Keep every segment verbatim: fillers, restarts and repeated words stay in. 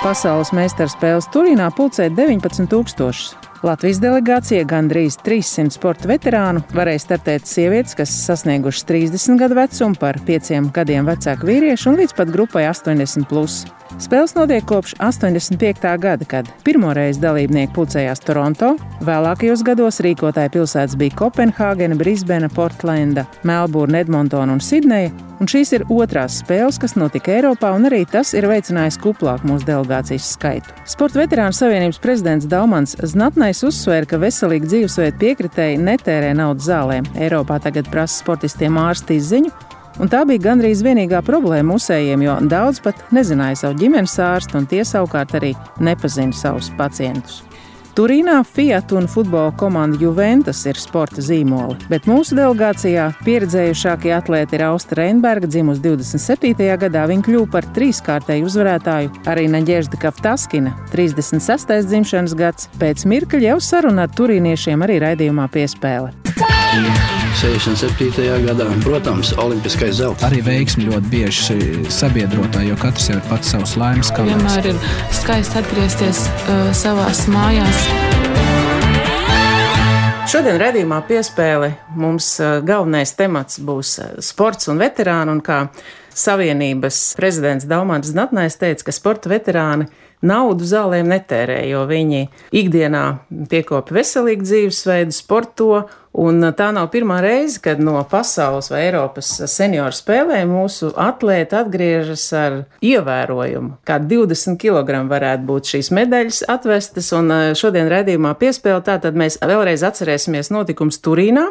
Pasaules meistarspēles Turīnā pulcēja deviņpadsmit tūkstošus. Latvijas delegācija gandrīz trīssimt sporta veterānu varēja startēt sievietes, kas sasniegušas trīsdesmit gadu vecumu, par pieciem gadiem vecāku vīriešu un līdz pat grupai astoņdesmit plus. Spēles notiek kopš astoņdesmit piektā gada, kad pirmoreiz dalībnieki pulcējās Toronto, vēlākajos gados rīkotāja pilsētas bija Kopenhāgena, Brisbena, Portlenda, Melburna, Edmontona un Sidneja, un šīs ir otrās spēles, kas notika Eiropā, un arī tas ir veicinājis kuplāku mūsu delegācijas skaitu. Sporta veterānu savienības prezidents Daumans Znatnais uzsvēra, ka veselīgi dzīvesveidu piekritēji netērē naudu zālēm. Eiropā tagad prasa sportistiem ārsta izziņu, un tā bija gandrīz vienīgā problēma mūsējiem, jo daudz pat nezināja savu ģimenes ārstu, un tie savukārt arī nepazina savus pacientus. Turīnā Fiat un futbola komanda Juventus ir sporta zīmoli, bet mūsu delegācijā pieredzējušākie atlēti ir Austa Reinberga, dzimusi divdesmit septītajā gadā. Viņa kļuva par trīskārtēju uzvarētāju, arī Naģežda Kaftaskina, trīsdesmit sestais dzimšanas gads. Pēc mirkļa jau saruna ar turīniešiem arī raidījumā Piespēle. sešdesmit septītajā gadā, protams, olimpiskais zelts. Arī veiksmi ļoti bieži sabiedrotāji, jo katrs jau ir pats savs laimes kalns. Vienmēr ir skaisti atgriezties uh, savās mājās. Šodien raidījumā Piespēle mums galvenais temats būs sports un veterāni, un kā Savienības prezidents Daumans Znatnais teica, ka sporta veterāni naudu zālēm netērē, jo viņi ikdienā piekopja veselīgu dzīvesveidu, sporto, un tā nav pirmā reize, kad no pasaules vai Eiropas senioru spēlēm mūsu atlēti atgriežas ar ievērojumu. Kā divdesmit kilogramu varētu būt šīs medaļas atvestas, un šodien raidījumā Piespēle tātad mēs vēlreiz atcerēsimies notikums Turīnā,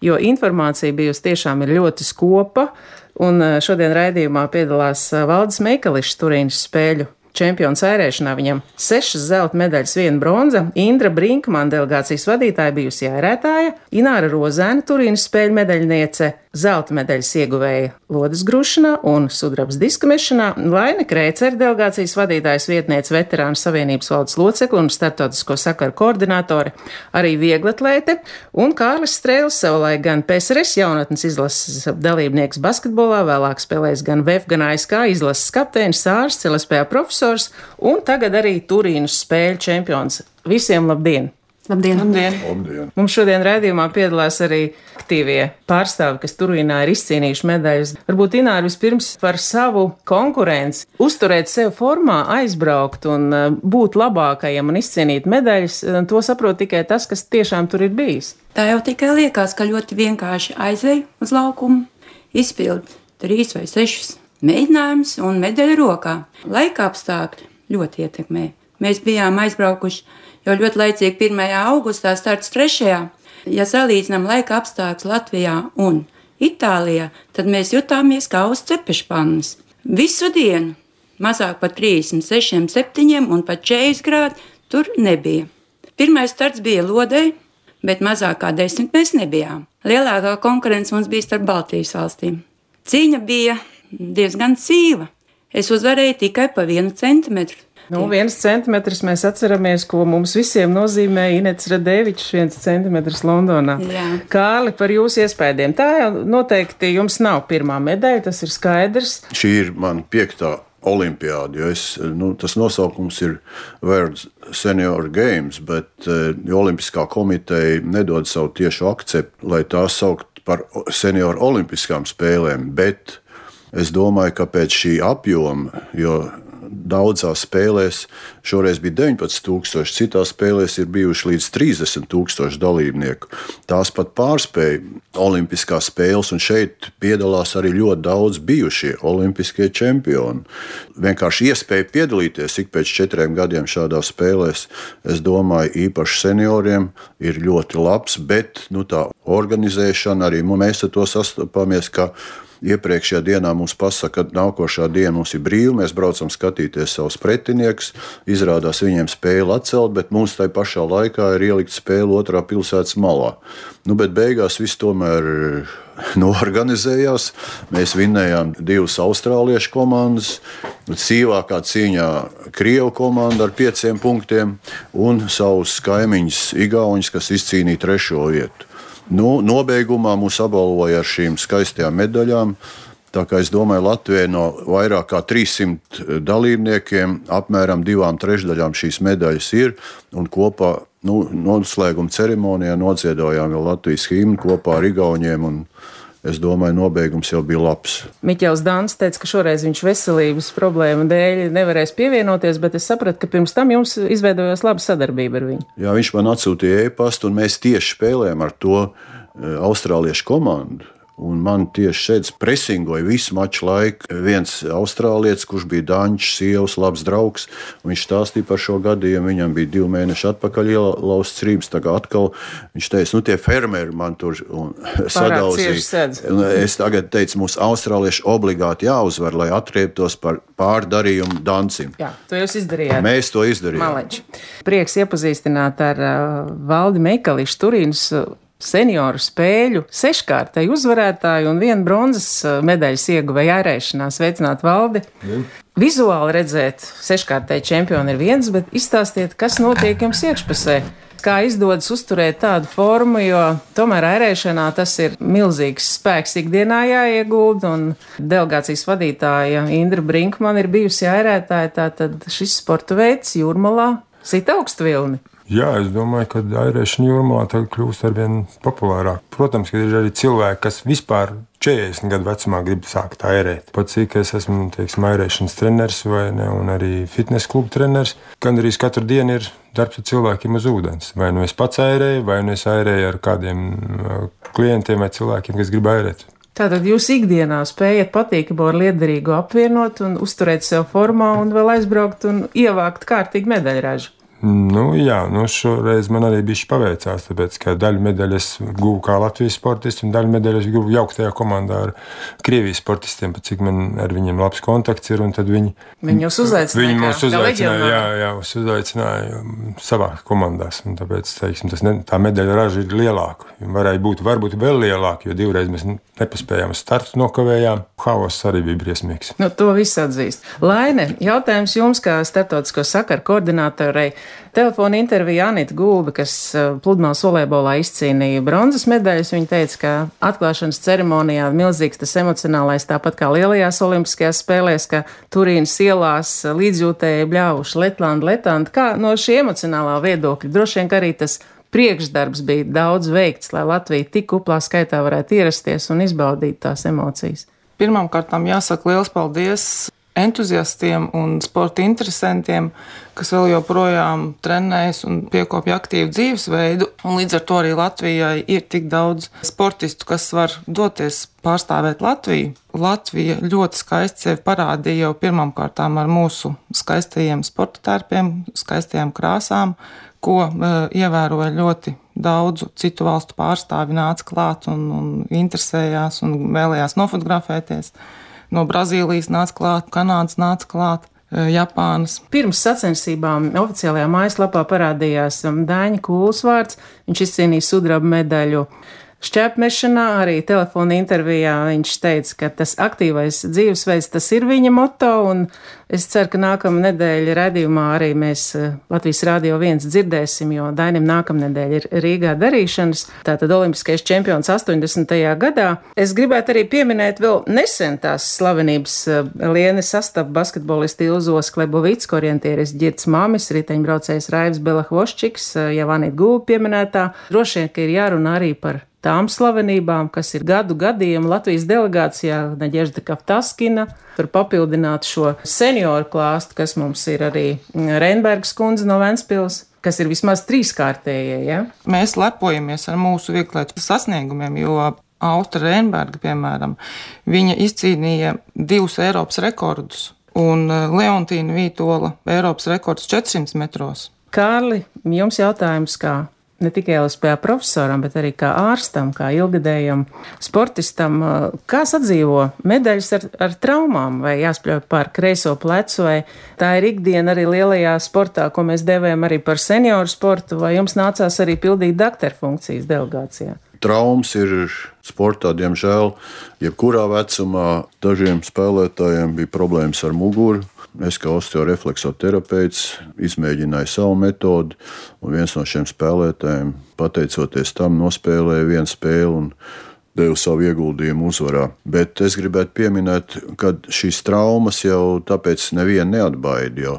jo informācija bijusi tiešām ir ļoti skopa, un šodien raidījumā piedalās Valdis Meikališs, Turīnas spēļu čempions ērēšanā. Viņam sešas zelta medaļas, viena bronza. Indra Brinkmana, delegācijas vadītāja, bijusi ērētāja. Ināra Rozēna, Turīnas spēļu medaļniece, zelta medaļas ieguvēja lodes grušanā un sudrabas diska mešanā. Laine Krēcere, delegācijas vadītājas vietniece, veterānu savienības valdes locekle un starptautisko sakaru koordinātore, arī vieglatlēte. Un Kārlis Strēlis, savulaik gan P S R S jaunatnes izlases dalībnieks basketbolā, vēlāk spēlējis gan V E F, gan A S K izlases kapteinis, ārsts, L S P A profesors un tagad arī Turīnas spēļu čempions. Visiem labdien! Labdien! Labdien. Labdien. Mums šodien raidījumā piedalās arī aktīvie pārstāvi, kas Turīnā ir izcīnījuši medaļas. Varbūt Ināra vispirms par savu konkurenci, uzturēt sevi formā, aizbraukt un būt labākajam un izcīnīt medaļas, to saprot tikai tas, kas tiešām tur ir bijis. Tā jau tikai liekas, ka ļoti vienkārši aizej uz laukumu, izpild trīs vai sešus mēģinājumus un medaļa rokā. Laika apstākļi ļoti ietekmē. Mēs bijām aizbraukuši jau ļoti laicīgi pirmajā augustā, starts trešajā Ja salīdzinām laika apstākļus Latvijā un Itālijā, tad mēs jutāmies kā uz cepešpannas. Visu dienu mazāk par trīsdesmit sešiem, septiņiem un pat četrdesmit grādi tur nebija. Pirmais starts bija Lodei, bet mazāk kā desmit mēs nebijām. Lielākā konkurence mums bija starp Baltijas valstīm. Cīņa bija diezgan sīva. Es uzvarēju tikai pa vienu centimetru. Nu, viens centimetrs mēs atceramies, ko mums visiem nozīmēja Inets Radevičs, viens centimetrs Londonā. Jā. Kārli, par jūsu iespējām. Tā jau noteikti jums nav pirmā medaļa, tas ir skaidrs. Šī ir man piektā olimpiāda, jo es, nu, tas nosaukums ir World Senior Games, bet uh, Olimpiskā komiteja nedod savu tiešu akceptu, lai tās saukt par senioru olimpiskām spēlēm, bet es domāju, ka pēc šī apjoma, jo daudzās spēlēs šoreiz bija deviņpadsmit tūkstoši, citās spēlēs ir bijuši līdz trīsdesmit tūkstoši dalībnieku. Tās pat pārspēja olimpiskās spēles, un šeit piedalās arī ļoti daudz bijušie olimpiskie čempioni. Vienkārši iespēja piedalīties ik pēc četriem gadiem šādās spēlēs, es domāju, īpaši senioriem ir ļoti labs, bet nu, tā organizēšana arī mēs ar to sastopamies, ka iepriekšējā dienā mums pasaka, ka nākošā diena mums ir brīva, mēs braucam skatīties savus pretiniekus, izrādās viņiem spēli atcelt, bet mums tai pašā laikā ir ielikt spēli otrā pilsētas malā. Nu, bet beigās viss tomēr noorganizējās. Mēs vinnējām divas austrāliešu komandas, cīvākā cīņā Krievu komanda ar pieciem punktiem un savus kaimiņus Igauņus, kas izcīnīja trešo vietu. Nu, nobeigumā mūs apbalvoja ar šīm skaistajām medaļām. Tā kā es domāju, Latvijai no vairāk kā trīssimt dalībniekiem apmēram divām trešdaļām šīs medaļas ir, un kopā nu, noslēguma ceremonijā nodziedājām jau Latvijas himnu kopā ar Igauniem, un es domāju, nobeigums jau bija labs. Miķels Dāns teica, ka šoreiz viņš veselības problēmu dēļ nevarēs pievienoties, bet es sapratu, ka pirms tam jums izveidojās laba sadarbība ar viņu. Jā, viņš man atsūtīja e-pastu, un mēs tieši spēlējām ar to austrāliešu komandu. Un man tieši šeit presingoja visu maču laiku viens austrālietis, kurš bija Daņš, sievas, labs draugs. Viņš stāstīja par šo gadījumu. Viņam bija divi mēneši atpakaļ ielauzts rības. Tagad atkal viņš teica, nu tie fermeri man tur sadauzīja. Es tagad teicu, mums austrālieši obligāti jāuzvar, lai atrieptos par pārdarījumu Dancim. Jā, to jūs izdarījāt. Mēs to izdarījām. Maleči. Prieks iepazīstināt ar uh, Valdi Meikališu, Turīnas uh, senioru spēļu seškārtēju uzvarētāju un vienu bronzas medaļas ieguvēju ārēšanā. Sveicināt, Valdi! Mm. Vizuāli redzēt seškārtēju čempionu ir viens, bet izstāstiet, kas notiek jums iekšpusē. Kā izdodas uzturēt tādu formu, jo tomēr ārēšanā tas ir milzīgs spēks ikdienā jāiegulda, un delegācijas vadītāja Indra Brinkmana ir bijusi ārētāja, tātad šis sporta veids Jūrmalā sit augstu vilni. Jā, es domāju, ka airēšana Jūrmalā tagad kļūst arvien populārāk. Protams, ka ir arī cilvēki, kas vispār četrdesmit gadu vecumā grib sākt airēt. Pat cik es esmu, teiksim, airēšanas treneris vai ne, un arī fitness klubu treneris, gan arī katru dienu ir darbs ar cilvēkiem uz ūdens. Vai nu es pats airēju, vai nu es airēju ar kādiem klientiem vai cilvēkiem, kas grib airēt. Tātad jūs ikdienā spējat patīkamu ar liederīgu apvienot un uzturēt sev formā un vēl aizbraukt un ievākt kārtīgi medaļražu. Nu, jā, nu šoreiz man arī bišķi paveicās, tāpēc, ka daļu medaļas guvu kā Latvijas sportisti un daļu medaļas guvu jauktajā komandā ar Krievijas sportistiem, pat cik man ar viņiem labs kontakts ir, un tad viņi... Viņi jūs uzaicināja, viņi mūs uzaicināja, jā, jā, mūs uzaicināja savā komandās, un tāpēc, teiksim, tas ne, tā medaļa raža ir lielāka. Varēja būt, varbūt vēl lielāka, jo divreiz mēs nepaspējām startu nokavējām. Haoss arī bija briesmīgs. Nu, to viss atzīst. Laine, jautājums jums kā starptautisko sakaru koordinātorei. Telefona intervija Anita Gulba, kas pludmales volejbolā izcīnīja bronzas medaļas. Viņa teica, ka atklāšanas ceremonijā milzīgs tas emocionālais, tāpat kā lielajās olimpiskajās spēlēs, ka Turīnas ielās līdzjūtēji bļāvuši Letlandi, Letlandi. Kā no šī emocionālā viedokļa? Droši vien, ka arī tas priekšdarbs bija daudz veikts, lai Latvija tik kuplā skaitā varētu ierasties un izbaudīt tās emocijas. Pirmkārt, jāsaka liels paldies entuziastiem un sporta interesantiem, kas vēl joprojām trenējas un piekopja aktīvu dzīvesveidu. Un līdz ar to arī Latvijai ir tik daudz sportistu, kas var doties pārstāvēt Latviju. Latvija ļoti skaisti sevi parādīja jau pirmkārtām ar mūsu skaistajiem sporta tērpiem, skaistajām krāsām, ko uh, ievēroja ļoti daudzu citu valstu pārstāvi, nāca klāt un, un interesējās un vēlējās nofotografēties. No Brazīlijas nāca klāt, Kanādas nāca klāt, Japānas. Pirms sacensībām oficiālajā mājaslapā parādījās Dāņa Kūls vārds. Viņš izcīnīja sudraba medaļu šķēpmešanā. Arī telefona intervijā viņš teica, ka tas aktīvais dzīvesveids, tas ir viņa moto, un es ceru, ka nākamā nedēļa raidījumā arī mēs Latvijas Rādio viens dzirdēsim, jo Dainim nākamnedēļ ir Rīgā darīšanas. Tātad olimpiskais čempions astoņdesmitajā gadā. Es gribētu arī pieminēt vēl nesen tās slavenības lieni sastapu basketbolisti Ilzos Klebovicku, orientieris Ģirds Māmis, riteņbraucējs Raivs Belahvoščiks, jau Anita Gulba pieminētā. Droši vien, ka ir jārunā arī par tām slavenībām, kas ir gadu gadiem Latvijas delegācijā, Naģežda Kaftaskina, tur papildināt šo senioru klāstu, kas mums ir arī Reinbergas kundze no Ventspils, kas ir vismaz trīskārtējie, ja? Mēs lepojamies ar mūsu vieglietu sasniegumiem, jo Austra Reinberga, piemēram, viņa izcīnīja divus Eiropas rekordus, un Leontīna Vītola Eiropas rekords četrsimt metros. Kārli, jums jautājums kā? Ne tikai L S P A profesoram, bet arī kā ārstam, kā ilgadējam sportistam. Kā sadzīvo medaļas ar, ar traumām, vai jāspļauj pār kreiso plecu, vai tā ir ikdiena arī lielajā sportā, ko mēs devējam arī par senioru sportu, vai jums nācās arī pildīt dakteru funkcijas delegācijā? Traumas ir sportā, diemžēl, jebkurā vecumā. Dažiem spēlētājiem bija problēmas ar muguru. Es kā osteorefleksoterapeits izmēģināju savu metodi, un viens no šiem spēlētājiem, pateicoties tam, nospēlēja vienu spēli un deva savu ieguldījumu uzvarā. Bet es gribētu pieminēt, ka šīs traumas jau tāpēc nevienu neatbaida, jo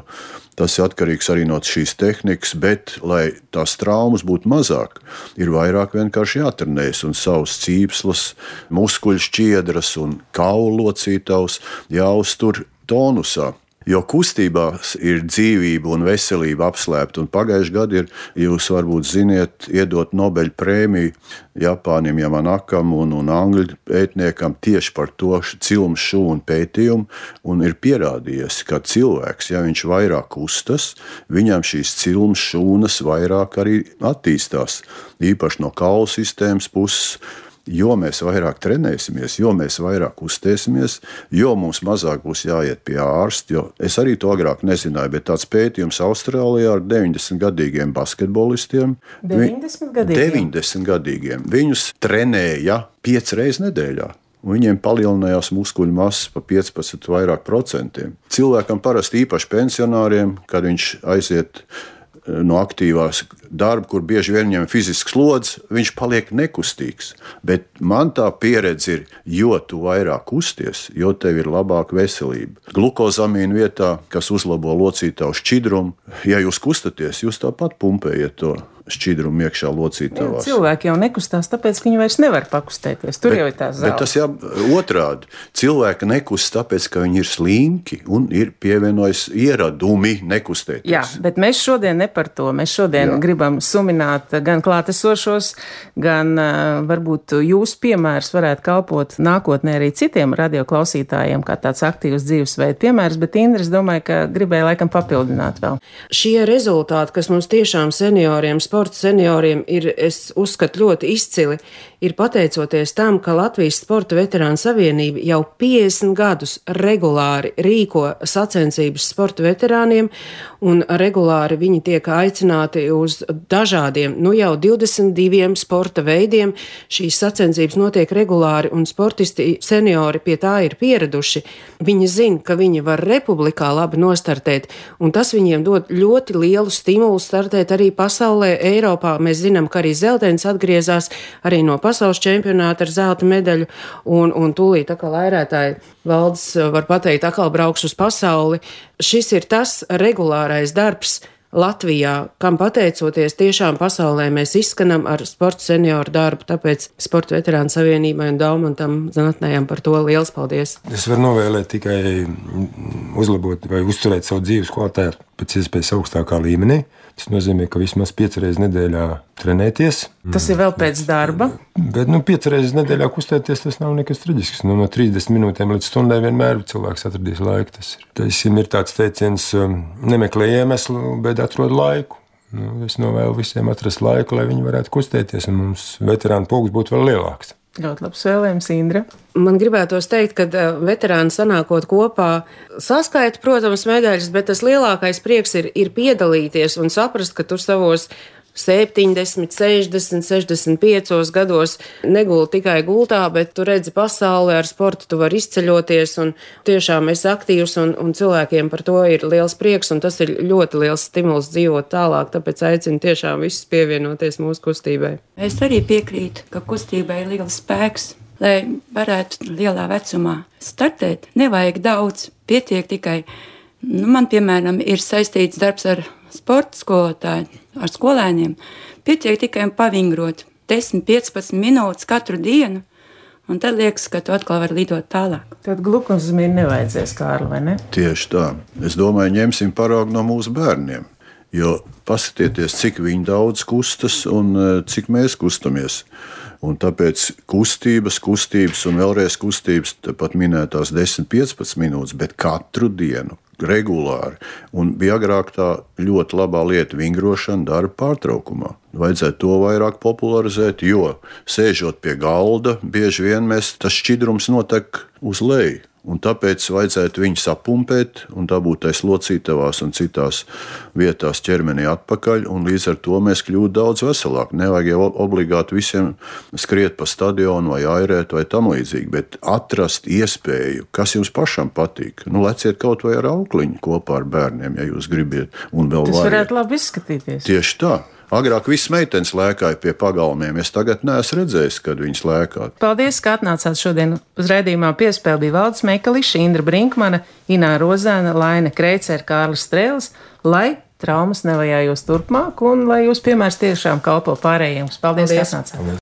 tas ir atkarīgs arī no šīs tehnikas, bet, lai tās traumas būtu mazāk, ir vairāk vienkārši jātrenējas un savus cīpslas, muskuļu šķiedras un kaulu locītavus jāuztur tonusā. Jo kustībās ir dzīvība un veselība apslēpta, un pagājuši gadu ir, jūs varbūt ziniet, iedot Nobeļa prēmiju Japānim Yamanakam un, un angļu pētniekam tieši par to cilmu šūnu pētījumu, un ir pierādījies, ka cilvēks, ja viņš vairāk kustas, viņam šīs cilmu šūnas vairāk arī attīstās, īpaši no kaulu sistēmas puses. Jo mēs vairāk trenēsimies, jo mēs vairāk kustēsimies, jo mums mazāk būs jāiet pie ārsta. Jo es arī to agrāk nezināju, bet tāds pētījums Austrālijā ar deviņdesmitgadīgiem basketbolistiem. deviņdesmitgadīgiem? deviņdesmitgadīgiem. Viņus trenēja piecas reizes nedēļā. Viņiem palielinājās muskuļu masa pa piecpadsmit vairāk procentiem. Cilvēkam parasti īpaši pensionāriem, kad viņš aiziet no aktīvās darba, kur bieži vien viņam ir fizisks slodzi, viņš paliek nekustīgs. Bet man tā pieredze ir, jo tu vairāk kusties, jo tev ir labāka veselība. Glukozamīna vietā, kas uzlabo locītavu šķidrumu, ja jūs kustaties, jūs tāpat pumpējat to šķidrumu iekšā locītavās. Cilvēki jau nekustās, tāpēc, ka viņi vairs nevar pakustēties. Tur bet, jau ir tā zelta. Bet tas jā, otrādi. Cilvēki nekust tāpēc, ka viņi ir slinki un ir pievienojis ieradumi nekustēties. Jā, bet mēs šodien ne par to. Mēs šodien jā. gribam sumināt gan klātesošos, gan uh, varbūt jūsu piemērs varētu kalpot nākotnē arī citiem radioklausītājiem, kā tāds aktīvs dzīvesveida piemērs, bet Indra, es domāju, ka gribēja laikam papildināt vēl. Šie rezultāti, kas mums tiešām senioriem, sporta senioriem ir, es uzskatu, ļoti izcili, ir pateicoties tam, ka Latvijas Sporta veterānu savienība jau piecdesmit gadus regulāri rīko sacensības sporta veterāniem, un regulāri viņi tiek aicināti uz dažādiem, nu jau divdesmit diviem sporta veidiem. Šīs sacensības notiek regulāri, un sportisti seniori pie tā ir pieraduši. Viņi zina, ka viņi var republikā labi nostartēt, un tas viņiem dod ļoti lielu stimulu startēt arī pasaulē, Eiropā. Mēs zinām, ka arī Zeltens atgriezās arī no pasaules čempionāta ar zelta medaļu, un, un tūlīt atkal lairētāji Valdes var pateikt, atkal brauks uz pasauli. Šis ir tas regulārais darbs Latvijā, kam pateicoties tiešām pasaulē mēs izskanam ar sporta senioru darbu, tāpēc Sporta veterānu savienībai un Daumantam Zanatnējam par to liels paldies. Es varu novēlēt tikai uzlabot vai uzturēt savu dzīves kvalitāti pēc iespējas augstākā līmenī. Tas nozīmē, ka vismaz piecas reizes nedēļā trenēties. Tas ir vēl pēc darba. Bet nu, piecas reizes nedēļā kustēties, tas nav nekas traģisks. Nu, no trīsdesmit minūtēm līdz stundai vienmēr cilvēks atradīs laiku. Tas ir, tas ir tāds teiciens, nemeklē iemeslu, bet atrod laiku. Nu, es novēlu visiem atrast laiku, lai viņi varētu kustēties, un mums veterānu pulks būtu vēl lielāks. Ļoti labs vēlējums, Indra. Man gribētos teikt, ka veterāni sanākot kopā saskaita, protams, medaļas, bet tas lielākais prieks ir, ir piedalīties un saprast, ka tu savos septiņdesmit, sešdesmit, sešdesmit piecos gados neguli tikai gultā, bet tu redzi pasauli ar sportu, tu vari izceļoties un tiešām esi aktīvs, un, un cilvēkiem par to ir liels prieks, un tas ir ļoti liels stimuls dzīvot tālāk, tāpēc aicinu tiešām visus pievienoties mūsu kustībai. Es arī piekrītu, ka kustībai ir liels spēks, lai varētu lielā vecumā startēt. Nevajag daudz, pietiek tikai. Nu, man, piemēram, ir saistīts darbs ar sporta skolotāju, ar skolēniem. Pietiek tikai pavingrot desmit, piecpadsmit minūtes katru dienu, un tad liekas, ka tu atkal vari lidot tālāk. Tad glukozamīnu nevajadzēs, Kārli, vai ne? Tieši tā. Es domāju, ņemsim paraugu no mūsu bērniem, jo paskatieties, cik viņi daudz kustas un cik mēs kustamies. Un tāpēc kustības, kustības un vēlreiz kustības, pat minētās desmit, piecpadsmit minūtes, bet katru dienu, regulāri. Un bija agrāk tā ļoti labā lieta vingrošana darba pārtraukumā. Vajadzētu to vairāk popularizēt, jo sēžot pie galda, bieži vien mēs tas šķidrums notek uz leju. Un tāpēc vajadzētu viņu sapumpēt un dabūt tais locītavās un citās vietās ķermenī atpakaļ, un līdz ar to mēs kļūtu daudz veselāk. Nevajag jau obligāti visiem skriet pa stadionu vai airēt vai tam līdzīgi, bet atrast iespēju, kas jums pašam patīk. Nu, leciet kaut vai ar aukliņu kopā ar bērniem, ja jūs gribiet. Un vēl Tas vajag. varētu labi izskatīties. Tieši tā. Agrāk viss meitenes lēkāja pie pagalmiem. Es tagad neesmu redzējis, kad viņas lēkā. Paldies, ka atnācāt šodien uz raidījumā. Piespēle bija Valdis Meikališs, Indra Brinkmane, Ināra Rozēna, Laine Kreicere, Kārlis Strēlis, lai traumas nevajājos turpmāk un lai jūs piemērs tiešām kalpo pārējiem. Paldies, Paldies. Ka atnācāt.